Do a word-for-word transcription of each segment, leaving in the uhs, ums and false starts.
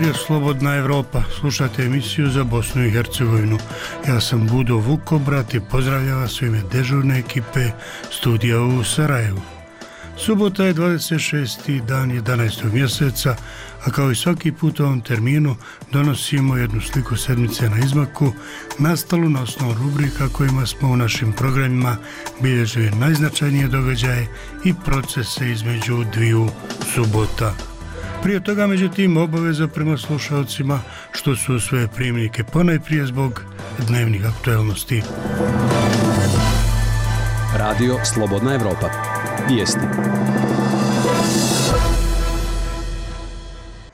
Radio Slobodna Evropa, slušate emisiju za Bosnu i Hercegovinu. Ja sam Budo Vukobrat i pozdravljam vas u ime dežurne ekipe studija u Sarajevu. Subota je dvadeset šesti dan jedanaestog mjeseca, a kao i svaki put u ovom terminu donosimo jednu sliku sedmice na izmaku, nastalu na osnovu rubrika kojima smo u našim programima bilježili najznačajnije događaje i procese između dviju subota. Prije toga, međutim, obaveza prema slušalcima što su svoje primnike ponajprije zbog dnevnih aktualnosti. Radio Slobodna Evropa. Vijesti.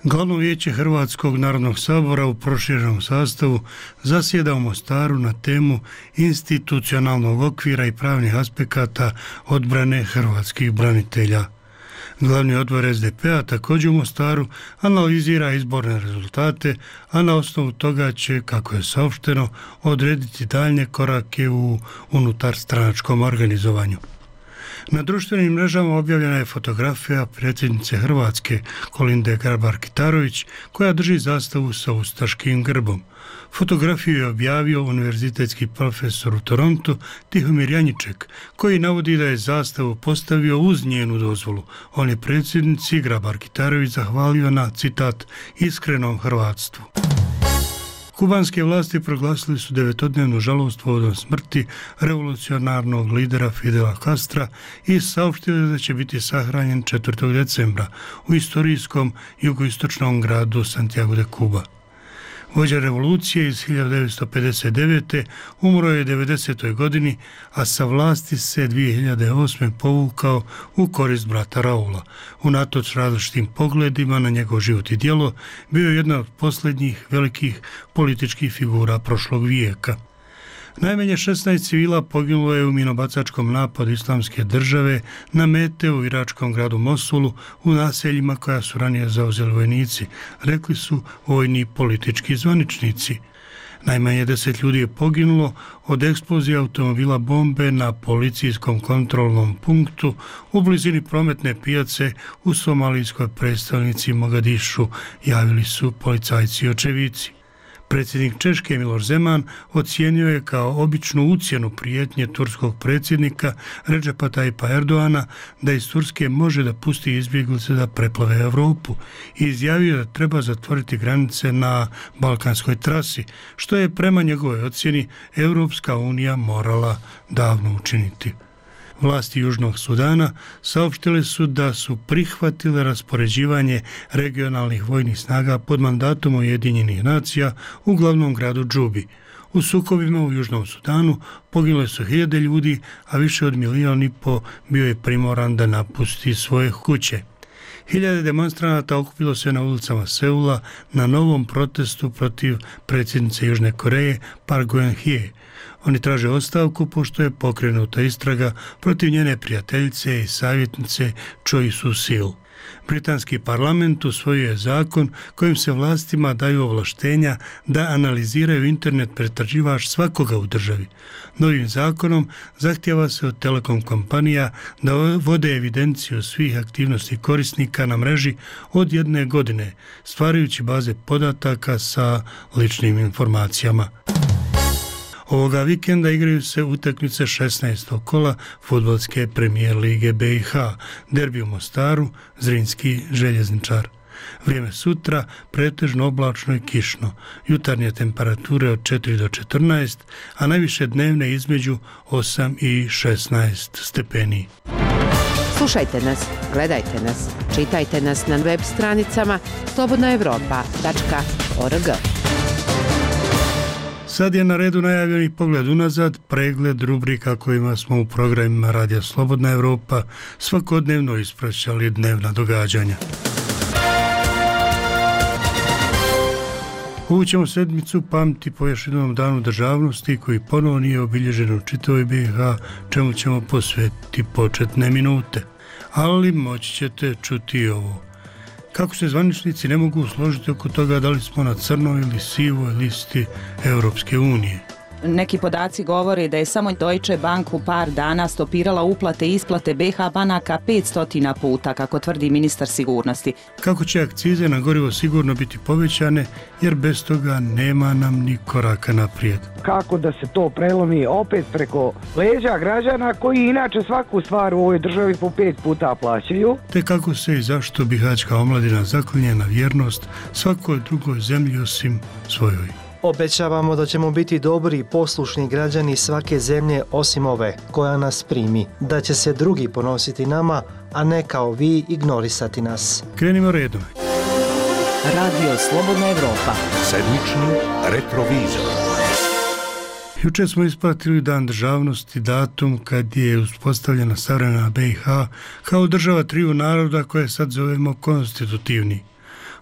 Glavno vijeće Hrvatskog narodnog sabora u proširenom sastavu zasjeda u Mostaru na temu institucionalnog okvira i pravnih aspekata odbrane hrvatskih branitelja. Glavni odbor es de pe a također u Mostaru analizira izborne rezultate, a na osnovu toga će, kako je saopšteno, odrediti daljnje korake u unutarstranačkom organizovanju. Na društvenim mrežama objavljena je fotografija predsjednice Hrvatske Kolinde Grabar-Kitarović koja drži zastavu sa ustaškim grbom. Fotografiju je objavio univerzitetski profesor u Torontu Tihomir Janjiček, koji navodi da je zastavu postavio uz njenu dozvolu. On je predsjednici Grabar-Kitarović zahvalio na, citat, iskrenom hrvatstvu. Kubanske vlasti proglasili su devetodnevnu žalost povodom smrti revolucionarnog lidera Fidela Castra i saopštili da će biti sahranjen četvrtog decembra u istorijskom jugoistočnom gradu Santiago de Cuba. Vođa revolucije iz hiljadu devetsto pedeset devete. umro je u devedesetoj godini, a sa vlasti se dvije hiljade osme. povukao u korist brata Raula. Unatoč različitim pogledima na njegov život i djelo, bio je jedna od posljednjih velikih političkih figura prošlog vijeka. Najmanje šesnaest civila poginulo je u minobacačkom napadu Islamske države na mete u iračkom gradu Mosulu u naseljima koja su ranije zauzeli vojnici, rekli su vojni i politički zvaničnici. Najmanje deset ljudi je poginulo od eksplozije automobila bombe na policijskom kontrolnom punktu u blizini prometne pijace u somalijskoj predstavnici Mogadišu, javili su policajci i očevici. Predsjednik Češke Miloš Zeman ocijenio je kao običnu ucjenu prijetnje turskog predsjednika Redžepa Tajipa Erdoana da iz Turske može da pusti izbjeglice da preplave Europu i izjavio da treba zatvoriti granice na balkanskoj trasi, što je prema njegovoj ocjeni Europska unija morala davno učiniti. Vlasti Južnog Sudana saopštile su da su prihvatile raspoređivanje regionalnih vojnih snaga pod mandatom Ujedinjenih nacija u glavnom gradu Džubi. U sukobima u Južnom Sudanu pogile su hiljade ljudi, a više od milijon i po bio je primoran da napusti svoje kuće. Hiljade demonstranata okupilo se na ulicama Seula na novom protestu protiv predsjednice Južne Koreje Park Geun-hye. Oni traže ostavku pošto je pokrenuta istraga protiv njene prijateljice i savjetnice Choi Soo-sil. Britanski parlament usvojio je zakon kojim se vlastima daju ovlaštenja da analiziraju internet pretraživač svakoga u državi. Novim zakonom zahtijeva se od telekom kompanija da vode evidenciju svih aktivnosti korisnika na mreži od jedne godine, stvarajući baze podataka sa ličnim informacijama. Ovoga vikenda igraju se utakmice šesnaestog kola fudbalske premijer lige be i ha, derbi u Mostaru, Zrinski željezničar. Vrijeme sutra pretežno oblačno i kišno, jutarnje temperature od četiri do četrnaest, a najviše dnevne između osam i šesnaest stepeni. Slušajte nas, gledajte nas, čitajte nas na web stranicama slobodna evropa tačka org. Sad je na redu najavljeni pogled unazad, pregled rubrika kojima smo u programima Radija Slobodna Evropa svakodnevno ispraćali dnevna događanja. Ovu ćemo sedmicu pamti po još jednom danu državnosti koji ponovo nije obilježen u čitavoj be i ha, čemu ćemo posvetiti početne minute. Ali moći ćete čuti ovo. Kako se zvaničnici ne mogu složiti oko toga da li smo na crnoj ili sivoj listi Europske unije. Neki podaci govore da je samo Deutsche Bank u par dana stopirala uplate i isplate be ha banaka petsto puta, kako tvrdi ministar sigurnosti. Kako će akcize na gorivo sigurno biti povećane, jer bez toga nema nam ni koraka naprijed. Kako da se to prelomi opet preko leđa građana koji inače svaku stvar u ovoj državi po pet puta plaćaju? Te kako se i zašto bihaćka omladina zaklinje na vjernost svakoj drugoj zemlji osim svojoj. Obećavamo da ćemo biti dobri i poslušni građani svake zemlje osim ove koja nas primi, da će se drugi ponositi nama, a ne kao vi ignorisati nas. Krenimo redom. Radio Slobodna Evropa. Sedmični retrovizor. Jučer smo ispratili Dan državnosti, datum kad je uspostavljena savremena be i ha kao država triju naroda koje sad zovemo konstitutivni.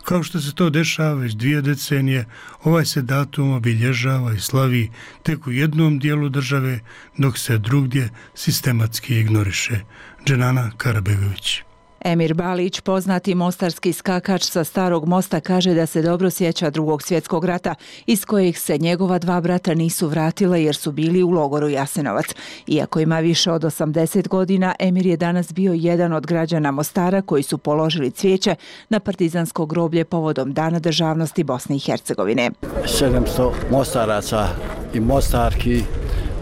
Kao što se to dešava već dvije decenije, ovaj se datum obilježava i slavi tek u jednom dijelu države, dok se drugdje sistematski ignoriše. Dženana Karabegović. Emir Balić, poznati mostarski skakač sa Starog mosta, kaže da se dobro sjeća Drugog svjetskog rata, iz kojeg se njegova dva brata nisu vratila jer su bili u logoru Jasenovac. Iako ima više od osamdeset godina, Emir je danas bio jedan od građana Mostara koji su položili cvijeće na partizansko groblje povodom Dana državnosti Bosne i Hercegovine. sedamsto Mostaraca i Mostarki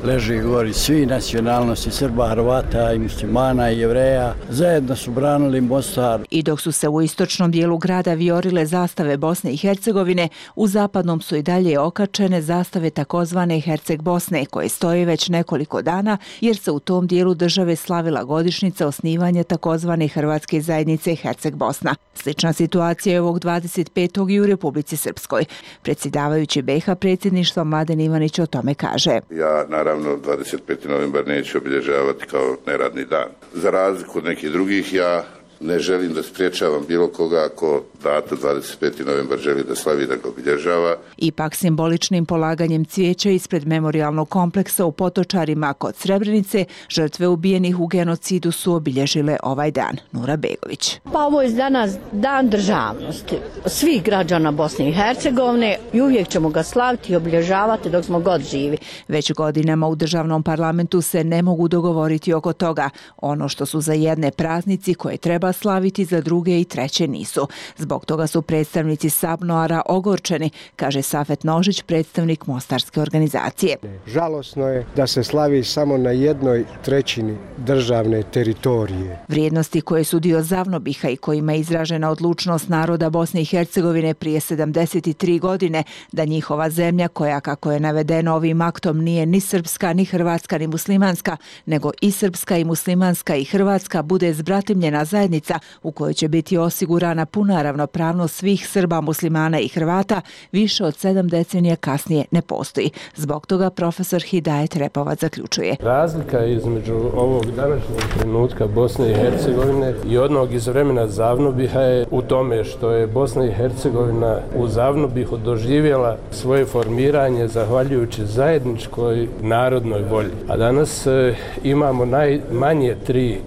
leži gori, svi nacionalnosti, Srba, Hrvata i muslimana i Jevreja, zajedno su branili Mostar. I dok su se u istočnom dijelu grada viorile zastave Bosne i Hercegovine, u zapadnom su i dalje okačene zastave takozvane Herceg Bosne, koje stoje već nekoliko dana, jer se u tom dijelu države slavila godišnjica osnivanja takozvane Hrvatske zajednice Herceg Bosna. Slična situacija je ovog dvadeset petog i u Republici Srpskoj. Predsjedavajući be ha predsjedništva Mladen Ivanić o tome kaže. Ja, naravno, dvadeset peti novembar neću obilježavati kao neradni dan. Za razliku od nekih drugih, ja ne želim da spriječavam bilo koga ako datum dvadeset peti novembar želi da slavi, da ga obilježava. Ipak simboličnim polaganjem cvijeća ispred memorijalnog kompleksa u Potočarima kod Srebrenice, žrtve ubijenih u genocidu su obilježile ovaj dan. Nura Begović. Pa ovo je danas dan državnosti svih građana Bosne i Hercegovine i uvijek ćemo ga slaviti i obilježavati dok smo god živi. Već godinama u državnom parlamentu se ne mogu dogovoriti oko toga. Ono što su za jedne praznici koje treba slaviti, za druge i treće nisu. Zbog toga su predstavnici Sabnoara ogorčeni, kaže Safet Nožić, predstavnik mostarske organizacije. Žalosno je da se slavi samo na jednoj trećini državne teritorije. Vrijednosti koje su dio Zavnobiha i kojima je izražena odlučnost naroda Bosne i Hercegovine prije sedamdeset tri godine da njihova zemlja, koja kako je navedeno ovim aktom nije ni srpska, ni hrvatska, ni muslimanska, nego i srpska i muslimanska i hrvatska, bude zbratimljena zajednica u kojoj će biti osigurana puna ravnopravnost svih Srba, muslimana i Hrvata, više od sedam decenija kasnije ne postoji. Zbog toga profesor Hidajet Repovac zaključuje. Razlika između ovog današnjeg trenutka Bosne i Hercegovine i onog iz vremena Zavnobiha je u tome što je Bosna i Hercegovina u Zavnobihu doživjela svoje formiranje zahvaljujući zajedničkoj narodnoj volji. A danas e, imamo najmanje tri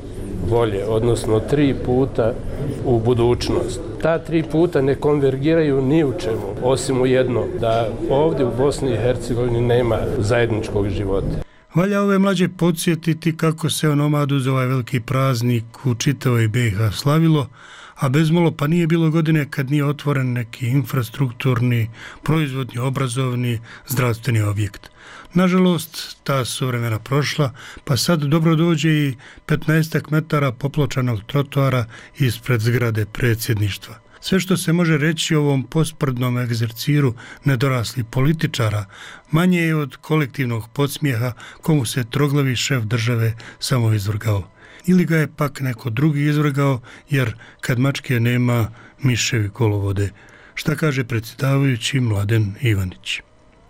volje, odnosno tri puta u budućnost. Ta tri puta ne konvergiraju ni u čemu, osim u jedno, da ovdje u Bosni i Hercegovini nema zajedničkog života. Valja ove mlađe podsjetiti kako se onomadu za ovaj veliki praznik u čitavoj be i ha slavilo, a bezmalo pa nije bilo godine kad nije otvoren neki infrastrukturni, proizvodni, obrazovni, zdravstveni objekt. Nažalost, ta su vremena prošla, pa sad dobro dođe i petnaestak metara popločanog trotoara ispred zgrade predsjedništva. Sve što se može reći o ovom posprdnom egzerciru nedoraslih političara manje je od kolektivnog podsmijeha komu se troglavi šef države samo izvrgao. Ili ga je pak neko drugi izvrgao, jer kad mačke nema, miševi kolovode. Šta kaže predsjedavajući Mladen Ivanić?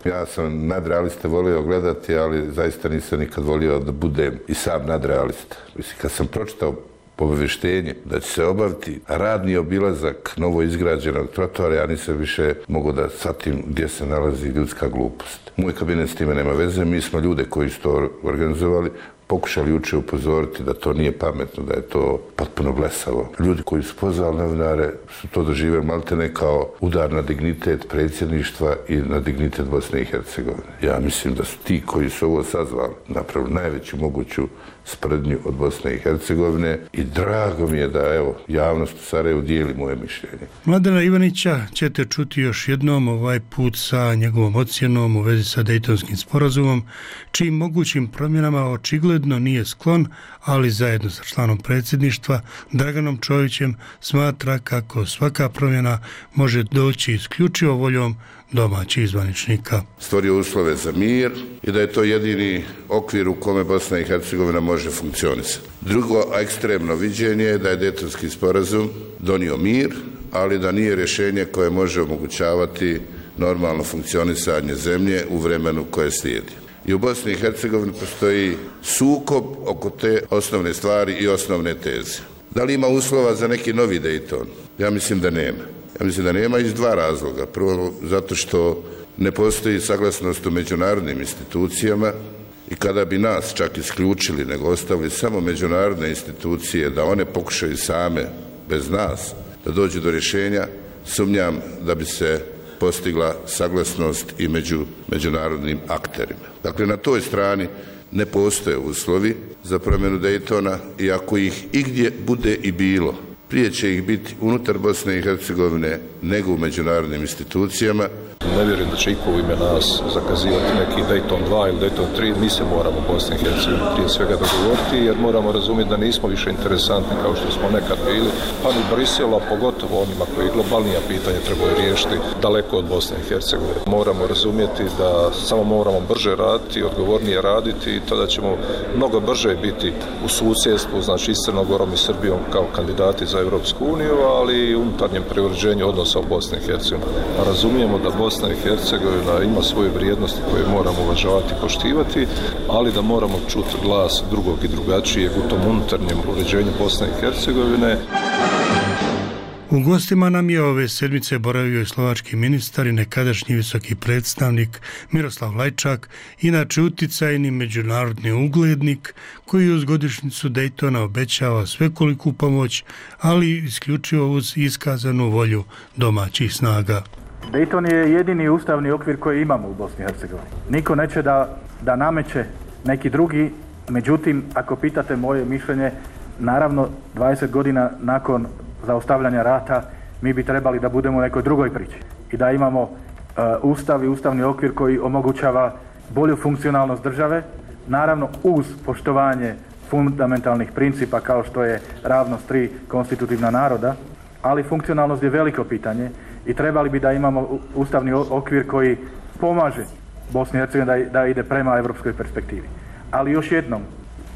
Ja sam nadrealiste volio gledati, ali zaista nisam nikad volio da budem i sam nadrealista. Mislim, kad sam pročitao obavještenje da će se obaviti radni obilazak novo izgrađenog trotoara, ja nisam više mogao da shvatim gdje se nalazi ljudska glupost. Moj kabinet s time nema veze, mi smo ljude koji su to organizovali pokušali jučer upozoriti da to nije pametno, da je to potpuno blesavo. Ljudi koji su pozvali novinare su to doživjeli maltene kao udar na dignitet predsjedništva i na dignitet Bosne i Hercegovine. Ja mislim da su ti koji su ovo sazvali napravili najveću moguću sprdnju od Bosne i Hercegovine i drago mi je da evo javnost u Sarajevu dijeli moje mišljenje. Mladena Ivanića ćete čuti još jednom, ovaj put sa njegovom ocjenom u vezi sa Dejtonskim sporazumom, čijim mogućim promjenama očigledno nije sklon, ali zajedno sa članom predsjedništva Draganom Čovićem smatra kako svaka promjena može doći isključivo voljom domaćih zvaničnika. Stvorio uslove za mir i da je to jedini okvir u kome Bosna i Hercegovina može funkcionisati. Drugo ekstremno viđenje je da je Dejtonski sporazum donio mir, ali da nije rješenje koje može omogućavati normalno funkcionisanje zemlje u vremenu koje slijedi. I u Bosni i Hercegovini postoji sukob oko te osnovne stvari i osnovne teze. Da li ima uslova za neki novi Dejton? Ja mislim da nema. Ja mislim da nema iz dva razloga. Prvo, zato što ne postoji saglasnost u međunarodnim institucijama i kada bi nas čak isključili, nego ostavili samo međunarodne institucije da one pokušaju same, bez nas, da dođu do rješenja, sumnjam da bi se postigla saglasnost i među međunarodnim akterima. Dakle, na toj strani ne postoje uslovi za promjenu Dejtona i ako ih igdje bude i bilo, prije će ih biti unutar Bosne i Hercegovine nego u međunarodnim institucijama. Ne vjerujem da će iko u ime nas zakazivati neki Dejton dva ili Dejton tri. Mi se moramo u Bosni i Hercegovini prije svega dogovoriti jer moramo razumjeti da nismo više interesantni kao što smo nekad bili. Pa ni Briselu, a pogotovo onima koji globalnija pitanja trebaju riješiti daleko od Bosne i Hercegovine. Moramo razumjeti da samo moramo brže raditi, odgovornije raditi i tada ćemo mnogo brže biti u susjedstvu, znači i s Crnom Gorom i Srbijom kao kandidati za Europsku uniju, ali i unutarnjem preuređenju odnosa u Bosni i Hercegovini. Razumijemo da Bosna i Hercegovina ima svoje vrijednosti koje moramo uvažavati i poštivati, ali da moramo čuti glas drugog i drugačijeg u tom unutarnjem uređenju Bosne i Hercegovine. U gostima nam je ove sedmice boravio i slovački ministar i nekadašnji visoki predstavnik Miroslav Lajčak, inače uticajni međunarodni uglednik koji uz godišnjicu Dejtona obećava svekoliku pomoć, ali isključivo uz iskazanu volju domaćih snaga. Dejton je jedini ustavni okvir koji imamo u Bosni i Hercegovini. Niko neće da, da nameće neki drugi, međutim, ako pitate moje mišljenje, naravno dvadeset godina nakon zaustavljanja rata mi bi trebali da budemo u nekoj drugoj priči i da imamo uh, ustav i ustavni okvir koji omogućava bolju funkcionalnost države, naravno uz poštovanje fundamentalnih principa kao što je ravnost tri konstitutivna naroda, ali funkcionalnost je veliko pitanje i trebali bi da imamo ustavni okvir koji pomaže Bosni i Hercegovini da, da ide prema evropskoj perspektivi. Ali još jednom,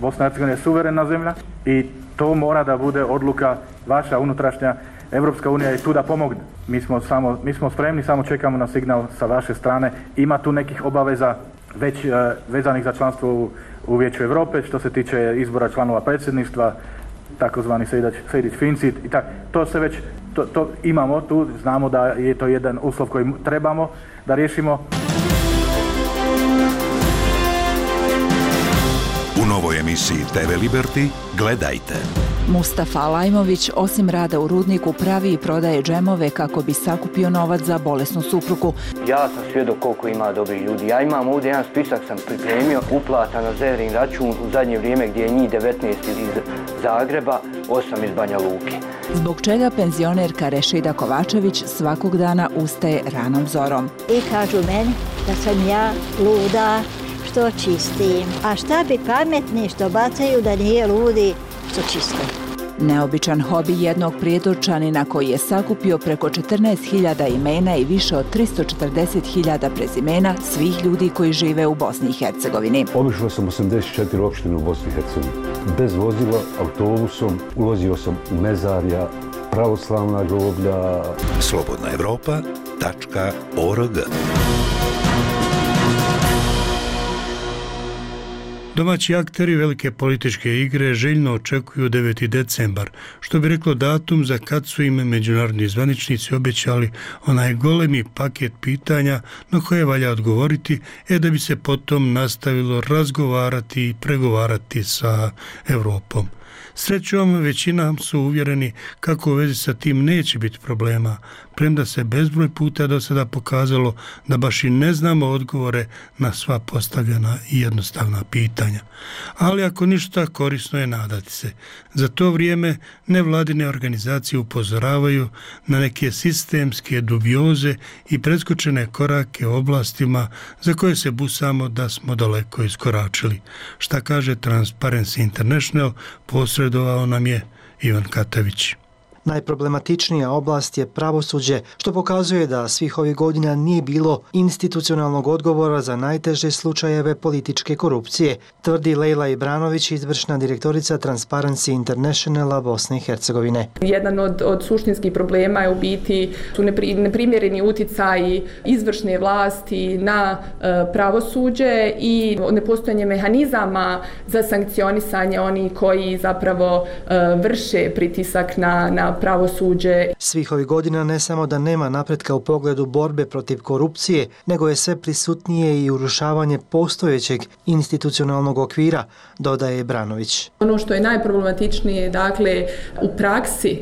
Bosna i Hercegovina je suverena zemlja i to mora da bude odluka vaša unutrašnja. Evropska unija je tu da pomogne. Mi smo, samo, mi smo spremni, samo čekamo na signal sa vaše strane. Ima tu nekih obaveza već uh, vezanih za članstvo u, u Vijeću Europe, što se tiče izbora članova predsjedništva, takozvani Sejdić-Fincit i tak. To se već to, to imamo tu, znamo da je to jedan uslov koji trebamo da riješimo. U novoj emisiji te ve Liberty gledajte. Mustafa Alajmović osim rada u rudniku pravi i prodaje džemove kako bi sakupio novac za bolesnu suprugu. Ja sam svjedok koliko ima dobrih ljudi. Ja imam ovdje jedan spisak sam pripremio, uplata na Zehrin račun u zadnje vrijeme gdje je njih devetnaest iz Zagreba, osam iz Banja Luke. Zbog čega penzionerka Rešida Kovačević svakog dana ustaje ranom zorom. I kažu meni da sam ja luda što čistim. A šta bi pametni što bacaju da nije ludi što čiste? Neobičan hobi jednog prijedorčanina koji je sakupio preko četrnaest hiljada imena i više od tristo četrdeset hiljada prezimena svih ljudi koji žive u Bosni i Hercegovini. Obišao sam osamdeset četiri opštine u Bosni i Hercegovini. Bez vozila, autobusom, ulazio sam u mezarja, pravoslavna groblja. slobodna evropa tačka org Domaći akteri velike političke igre željno očekuju deveti decembar, što bi reklo datum za kad su im međunarodni zvaničnici obećali onaj golemi paket pitanja na koje valja odgovoriti, e da bi se potom nastavilo razgovarati i pregovarati sa Europom. Srećom, većina su uvjereni kako u vezi sa tim neće biti problema, premda se bezbroj puta do sada pokazalo da baš i ne znamo odgovore na sva postavljena i jednostavna pitanja. Ali ako ništa, korisno je nadati se. Za to vrijeme nevladine organizacije upozoravaju na neke sistemske dubioze i preskočene korake u oblastima za koje se busamo da smo daleko iskoračili. Šta kaže Transparency International, posredovao nam je Ivan Katavić. Najproblematičnija oblast je pravosuđe, što pokazuje da svih ovih godina nije bilo institucionalnog odgovora za najteže slučajeve političke korupcije, tvrdi Lejla Ibranović, izvršna direktorica Transparency Internationala Bosne i Hercegovine. Jedan od, od suštinskih problema je u biti su nepri, neprimjereni utjecaji izvršne vlasti na e, pravosuđe i nepostojanje mehanizama za sankcionisanje onih koji zapravo e, vrše pritisak na, na pravosuđe. Svih ovih godina ne samo da nema napretka u pogledu borbe protiv korupcije, nego je sve prisutnije i urušavanje postojećeg institucionalnog okvira, dodaje Branović. Ono što je najproblematičnije, dakle, u praksi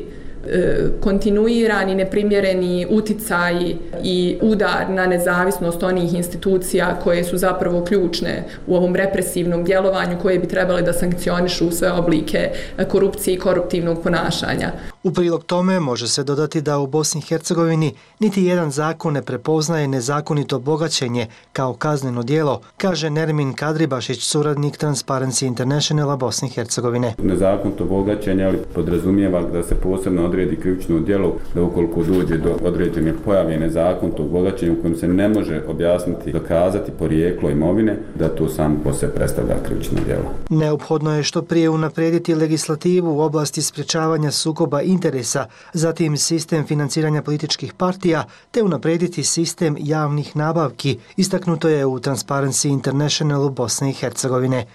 kontinuirani, neprimjereni uticaji i udar na nezavisnost onih institucija koje su zapravo ključne u ovom represivnom djelovanju, koje bi trebali da sankcionišu sve oblike korupcije i koruptivnog ponašanja. U prilog tome može se dodati da u Bosni i Hercegovini niti jedan zakon ne prepoznaje nezakonito bogaćenje kao kazneno djelo, kaže Nermin Kadribašić, suradnik Transparency Internationala Bosne i Hercegovine. Nezakonito bogaćenje, ali podrazumijeva da se posebno odredi krivično djelo, da ukoliko dođe do određene pojave nezakonitog bogaćenja u kojem se ne može objasniti, dokazati porijeklo imovine, da to samo po sebi predstavlja krivično djelo. Neophodno je što prije unaprijediti legislativu u oblasti sprječavanja sukoba interesa, zatim sistem financiranja političkih partija, te unaprijediti sistem javnih nabavki, istaknuto je u Transparency Internationalu Bosne i Hercegovine.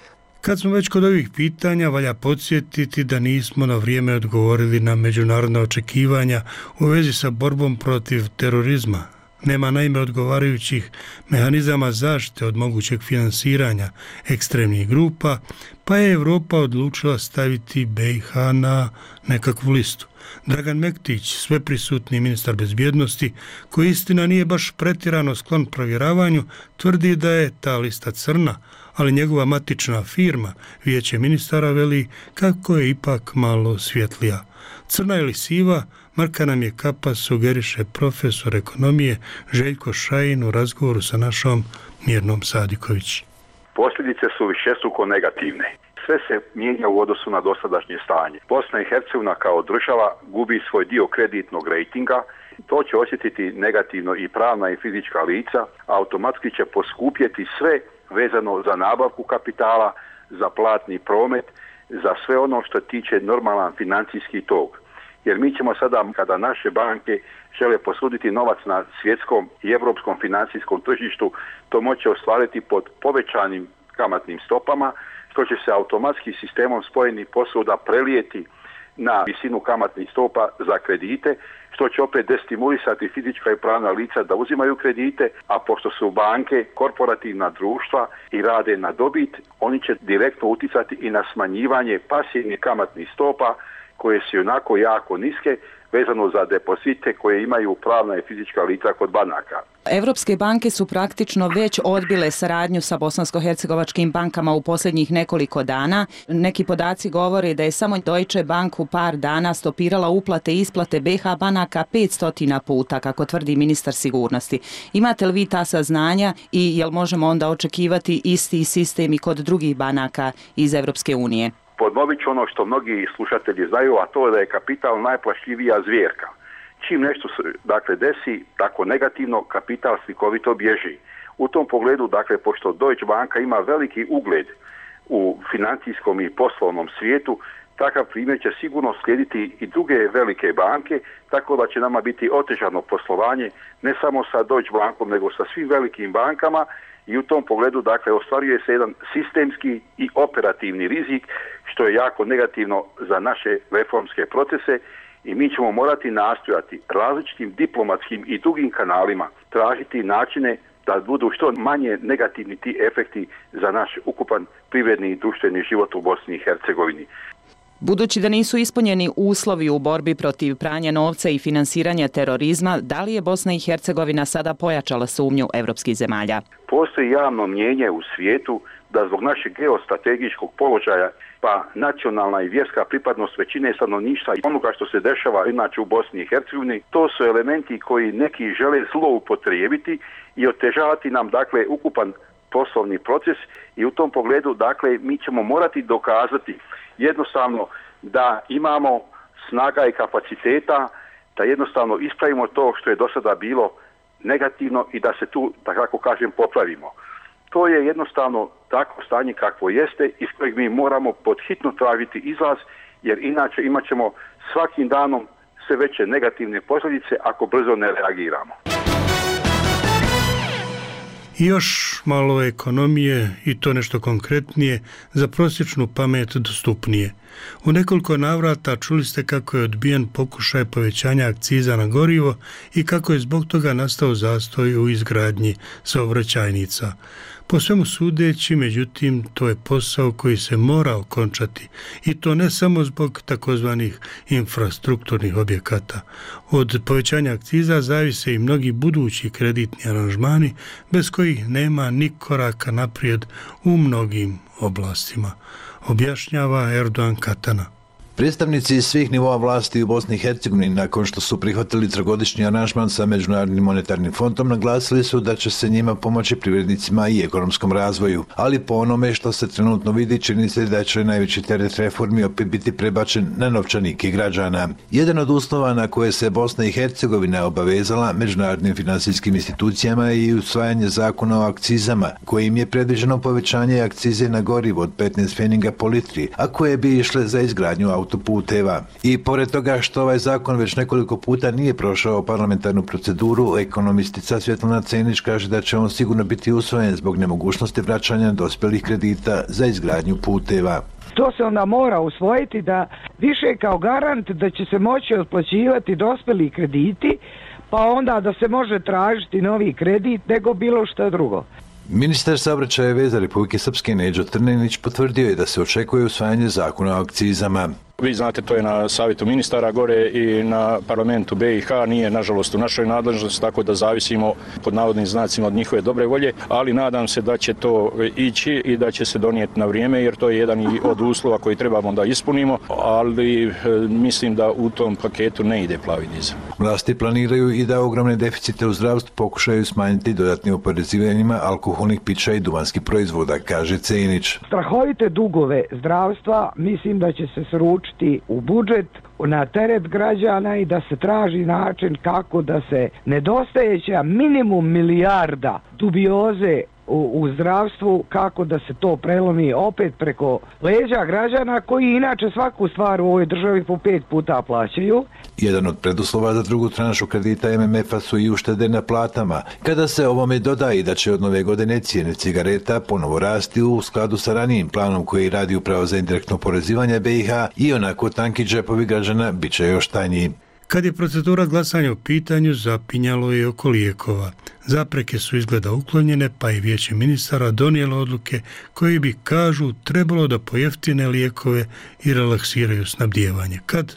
Kad smo već kod ovih pitanja, valja podsjetiti da nismo na vrijeme odgovorili na međunarodna očekivanja u vezi sa borbom protiv terorizma. Nema naime odgovarajućih mehanizama zaštite od mogućeg finansiranja ekstremnih grupa, pa je Europa odlučila staviti B i H na nekakvu listu. Dragan Mektić, sveprisutni ministar bezbjednosti, koji istina nije baš pretjerano sklon provjeravanju, tvrdi da je ta lista crna, ali njegova matična firma, Vijeće ministara, veli kako je ipak malo svjetlija. Crna ili siva, marka nam je kapa, sugeriše profesor ekonomije Željko Šajin u razgovoru sa našom Mirnom Sadiković. Posljedice su višestruko negativne. Sve se mijenja u odnosu na dosadašnje stanje. Bosna i Hercegovina kao država gubi svoj dio kreditnog rejtinga. To će osjetiti negativno i pravna i fizička lica, a automatski će poskupjeti sve vezano za nabavku kapitala, za platni promet, za sve ono što tiče normalan financijski tok. Jer mi ćemo sada, kada naše banke žele posuditi novac na svjetskom i europskom financijskom tržištu, to moće ostvariti pod povećanim kamatnim stopama, što će se automatski sistemom spojenih posuda prelijeti na visinu kamatnih stopa za kredite, što će opet destimulisati fizička i pravna lica da uzimaju kredite, a pošto su banke korporativna društva i rade na dobit, oni će direktno uticati i na smanjivanje pasivnih kamatnih stopa koje su onako jako niske, vezano za depozite koje imaju pravna i fizička lica kod banaka. Evropske banke su praktično već odbile saradnju sa bosansko-hercegovačkim bankama u posljednjih nekoliko dana. Neki podaci govore da je samo Deutsche Bank u par dana stopirala uplate i isplate B H banaka petsto puta, kako tvrdi ministar sigurnosti. Imate li vi ta saznanja i jel možemo onda očekivati isti sistem i kod drugih banaka iz Evropske unije? Ponovit ću ono što mnogi slušatelji znaju, a to je da je kapital najplašljivija zvjerka. Čim nešto se dakle desi tako negativno, kapital slikovito bježi. U tom pogledu, dakle, pošto Deutsche Banka ima veliki ugled u financijskom i poslovnom svijetu, takav primjer će sigurno slijediti i druge velike banke, tako da će nama biti otežano poslovanje ne samo sa Deutsche Bankom, nego sa svim velikim bankama, i u tom pogledu dakle ostvaruje se jedan sistemski i operativni rizik što je jako negativno za naše reformske procese i mi ćemo morati nastojati različitim diplomatskim i drugim kanalima tražiti načine da budu što manje negativni ti efekti za naš ukupan privredni i društveni život u Bosni i Hercegovini. Budući da nisu ispunjeni uslovi u borbi protiv pranja novca i finansiranja terorizma, da li je Bosna i Hercegovina sada pojačala sumnju evropskih zemalja? Postoji javno mnjenje u svijetu da zbog našeg geostrategijskog položaja pa nacionalna i vjerska pripadnost većine stanovništva i onoga što se dešava inače u Bosni i Hercegovini, to su elementi koji neki žele zloupotrijebiti i otežavati nam dakle ukupan poslovni proces i u tom pogledu dakle mi ćemo morati dokazati jednostavno da imamo snaga i kapaciteta da jednostavno ispravimo to što je do sada bilo negativno i da se tu, da kako kažem, popravimo. To je jednostavno takvo stanje kakvo jeste iz kojeg mi moramo podhitno tražiti izlaz jer inače imat ćemo svakim danom sve veće negativne posljedice ako brzo ne reagiramo. I još malo ekonomije i to nešto konkretnije, za prosječnu pamet dostupnije. U nekoliko navrata čuli ste kako je odbijen pokušaj povećanja akciza na gorivo i kako je zbog toga nastao zastoj u izgradnji saobraćajnica. Po svemu sudeći, međutim, to je posao koji se mora okončati i to ne samo zbog takozvanih infrastrukturnih objekata. Od povećanja akciza zavise i mnogi budući kreditni aranžmani bez kojih nema ni koraka naprijed u mnogim oblastima, objašnjava Erdogan Katana. Predstavnici svih nivoa vlasti u Bosni i Hercegovini nakon što su prihvatili trogodišnji aranžman sa Međunarodnim monetarnim fondom naglasili su da će se njima pomoći privrednicima i ekonomskom razvoju, ali po onome što se trenutno vidi čini se da će najveći teret reformi opet biti prebačen na novčanike građana. Jedan od uslova na koje se Bosna i Hercegovina obavezala međunarodnim finansijskim institucijama je i usvajanje zakona o akcizama, kojim je predviđeno povećanje akcize na gorivo od petnaest pfeniga po litri, a koje bi išle za izgradnju autoputeva. I pored toga što ovaj zakon već nekoliko puta nije prošao parlamentarnu proceduru, ekonomistica Svjetlana Cenić kaže da će on sigurno biti usvojen zbog nemogućnosti vraćanja dospjelih kredita za izgradnju puteva. To se onda mora usvojiti da više kao garant da će se moći otplaćivati dospjeli krediti, pa onda da se može tražiti novi kredit nego bilo što drugo. Ministar saobraćaja i veza Republike Srpske Neđo Trnenić potvrdio je da se očekuje usvajanje zakona o akcizama. Vi znate, to je na savjetu ministara gore i na parlamentu B i H, nije nažalost u našoj nadležnosti, tako da zavisimo pod navodnim znacima od njihove dobre volje, ali nadam se da će to ići i da će se donijeti na vrijeme, jer to je jedan i od uslova koji trebamo da ispunimo, ali e, mislim da u tom paketu ne ide plavi dizel. Vlasti planiraju i da ogromne deficite u zdravstvu pokušaju smanjiti dodatnim oporezivanjima alkoholnih pića i duvanskih proizvoda, kaže Cenić. Strahovite dugove zdravstva mislim da će se sručiti u budžet na teret građana i da se traži način kako da se nedostajeća minimum milijarda dubioze u, u zdravstvu, kako da se to prelomi opet preko leđa građana koji inače svaku stvar u ovoj državi po pet puta plaćaju. Jedan od preduslova za drugu tranšu kredita M M F-a su i uštede na platama. Kada se ovome doda i da će od nove godine cijene cigareta ponovo rasti u skladu sa ranijim planom koji radi upravo za indirektno oporezivanje B i H, i onako tanki džepovi građana bit će još tanji. Kad je procedura glasanja u pitanju, zapinjalo je oko lijekova. Zapreke su izgleda uklonjene, pa i vijeće ministara donijelo odluke koji bi, kažu, trebalo da pojeftine lijekove i relaksiraju snabdijevanje. Kad?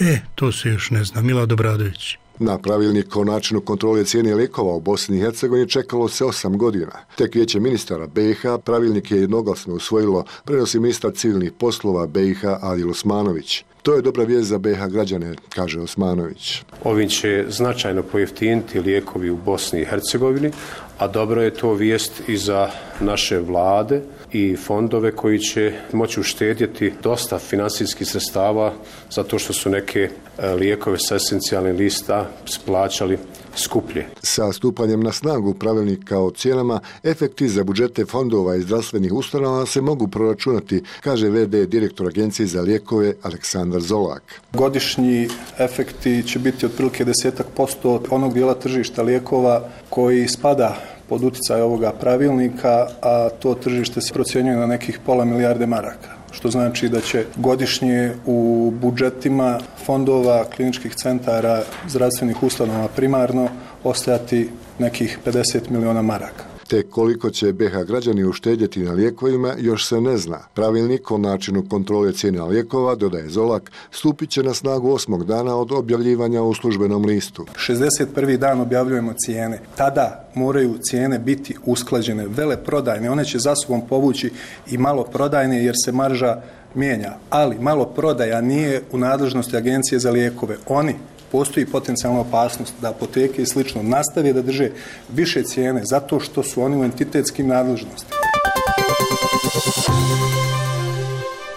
E, to se još ne zna. Milad Obradović. Na pravilnik o načinu kontrole cijene lijekova u Bosni i Hercegovini čekalo se osam godina. Tek vijeće ministara B i H pravilnik je jednoglasno usvojilo, prenosi ministar civilnih poslova B i H Adil Osmanović. To je dobra vijest za B i H građane, kaže Osmanović. Ovim će značajno pojeftiniti lijekovi u Bosni i Hercegovini, a dobro je to vijest i za naše vlade i fondove koji će moći uštedjeti dosta finansijskih sredstava zato što su neke lijekove sa esencijalnih lista plaćali skuplje. Sa stupanjem na snagu pravilnika o cijenama, efekti za budžete fondova i zdravstvenih ustanova se mogu proračunati, kaže ve de direktor Agencije za lijekove Aleksandar Zolak. Godišnji efekti će biti otprilike desetak posto onog dijela tržišta lijekova koji spada pod utjecaj ovoga pravilnika, a to tržište se procjenjuje na nekih pola milijarde maraka, što znači da će godišnje u budžetima fondova, kliničkih centara, zdravstvenih ustanova primarno ostajati nekih pedeset miliona maraka. Te koliko će B iH građani uštedjeti na lijekovima još se ne zna. Pravilnik o načinu kontrole cijena lijekova, dodaje Zolak, stupit će na snagu osmog dana od objavljivanja u službenom listu. šezdeset prvi dan objavljujemo cijene. Tada moraju cijene biti usklađene, veleprodajne. One će za sobom povući i maloprodajne jer se marža mijenja. Ali maloprodaja nije u nadležnosti Agencije za lijekove. Oni postoji potencijalna opasnost da apoteke i slično nastave da drže više cijene zato što su oni u entitetskim nadležnostima.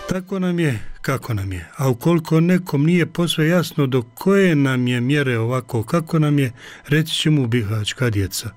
Tako nam je, kako nam je. A ukoliko nekom nije posve jasno do koje nam je mjere ovako, kako nam je, reći će mu bihaćka djeca.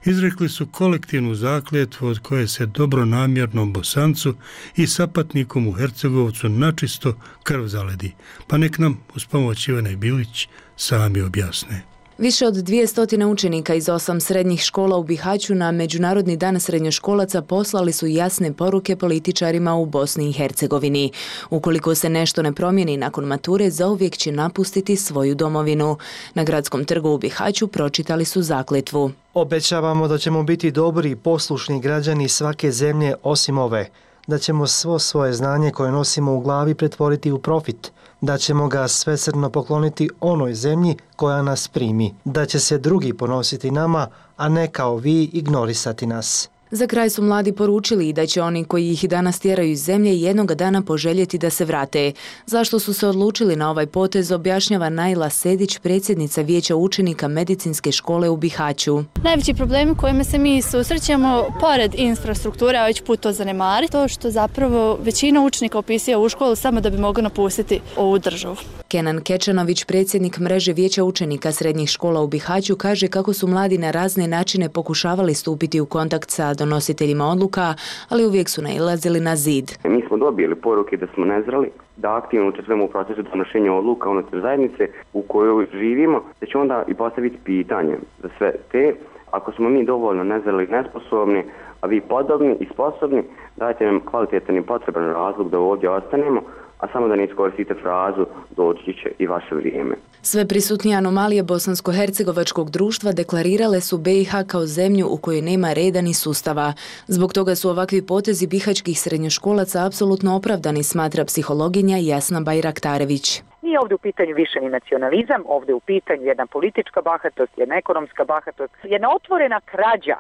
Izrekli su kolektivnu zakletvu od koje se dobronamjernom Bosancu i sapatnikom u Hercegovcu načisto krv zaledi. Pa nek nam, uz pomoć Ivane Bilić, sami objasne. Više od dvjesto učenika iz osam srednjih škola u Bihaću na Međunarodni dan srednjoškolaca poslali su jasne poruke političarima u Bosni i Hercegovini. Ukoliko se nešto ne promijeni nakon mature, zauvijek će napustiti svoju domovinu. Na gradskom trgu u Bihaću pročitali su zakletvu. Obećavamo da ćemo biti dobri i poslušni građani svake zemlje osim ove, da ćemo svo svoje znanje koje nosimo u glavi pretvoriti u profit, da ćemo ga svesrdno pokloniti onoj zemlji koja nas primi, da će se drugi ponositi nama, a ne kao vi ignorisati nas. Za kraj su mladi poručili i da će oni koji ih danas tjeraju iz zemlje jednoga dana poželjeti da se vrate. Zašto su se odlučili na ovaj potez objašnjava Najla Sedić, predsjednica Vijeća učenika medicinske škole u Bihaću. Najveći problemi kojima se mi susrećemo, pored infrastrukture, a već put to zanemari, to što zapravo većina učenika upisuje u školu samo da bi mogli napustiti ovu državu. Kenan Kečanović, predsjednik mreže Vijeća učenika srednjih škola u Bihaću, kaže kako su mladi na razne načine pokušavali stupiti u kontakt sa donositeljima odluka, ali uvijek su nailazili na zid. Mi smo dobili poruke da smo nezreli, da aktivno učestvujemo u procesu donošenja odluka unutar zajednice u kojoj živimo, da će onda i postaviti pitanje za sve te. Ako smo mi dovoljno nezreli i nesposobni, a vi podobni i sposobni, dajte nam kvalitetan i potreban razlog da ovdje ostanemo, a samo da ne iskoristite frazu doći će i vaše vrijeme. Sve prisutnije anomalije bosansko-hercegovačkog društva deklarirale su B iH kao zemlju u kojoj nema reda ni sustava. Zbog toga su ovakvi potezi bihaćkih srednjoškolaca apsolutno opravdani, smatra psihologinja Jasna Bajraktarević. Nije ovdje u pitanju više ni nacionalizam, ovdje u pitanju jedna politička bahatost, jedna ekonomska bahatost, jedna otvorena krađa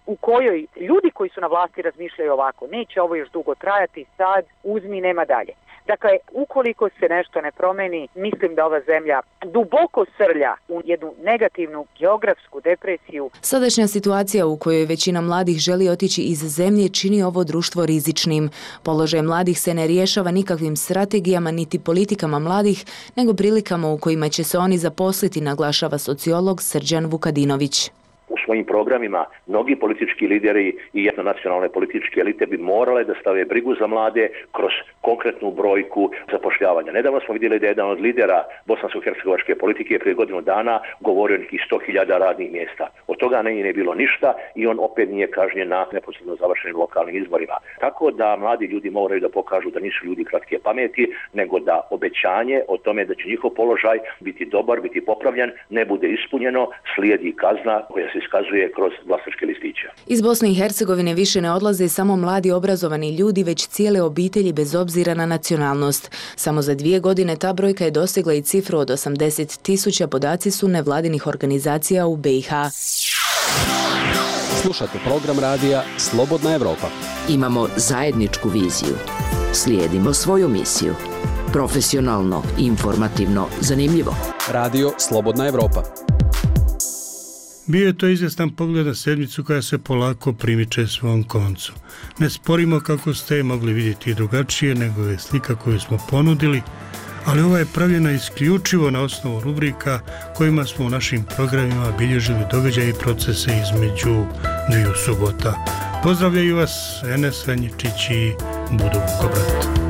u kojoj ljudi koji su na vlasti razmišljaju ovako, neće ovo još dugo trajati, sad uzmi, nema dalje. Dakle, ukoliko se nešto ne promeni, mislim da ova zemlja duboko srlja u jednu negativnu geografsku depresiju. Sadašnja situacija u kojoj većina mladih želi otići iz zemlje čini ovo društvo rizičnim. Položaj mladih se ne rješava nikakvim strategijama niti politikama mladih, nego prilikama u kojima će se oni zaposliti, naglašava sociolog Srđan Vukadinović. U svojim programima mnogi politički lideri i jednonacionalne političke elite bi morale da stave brigu za mlade kroz konkretnu brojku zapošljavanja. Nedavno smo vidjeli da je jedan od lidera bosansko-hercegovačke politike prije godinu dana govorio nekih sto hiljada radnih mjesta. Od toga nije ne bilo ništa i on opet nije kažnjen na neposredno završenim lokalnim izborima. Tako da mladi ljudi moraju da pokažu da nisu ljudi kratke pameti, nego da obećanje o tome da će njihov položaj biti dobar, biti popravljen, ne bude ispunjeno, slijedi kazna koja se iskazuje kroz glasačke listiće. Iz Bosne i Hercegovine više ne odlaze samo mladi obrazovani ljudi, već cijele obitelji bez obzira na nacionalnost. Samo za dvije godine ta brojka je dosegla i cifru od osamdeset tisuća, podaci su nevladinih organizacija u B iH. Slušate program radija Slobodna Evropa. Imamo zajedničku viziju. Slijedimo svoju misiju. Profesionalno, informativno, zanimljivo. Radio Slobodna Evropa. Bio je to izvjestan pogled na sedmicu koja se polako primiče svom koncu. Ne sporimo kako ste mogli vidjeti drugačije nego je slika koju smo ponudili, ali ova je pravljena isključivo na osnovu rubrika kojima smo u našim programima bilježili događaje i procese između dviju subota. Pozdravljaju vas Enes Ranjičić i Budo Vukobrat.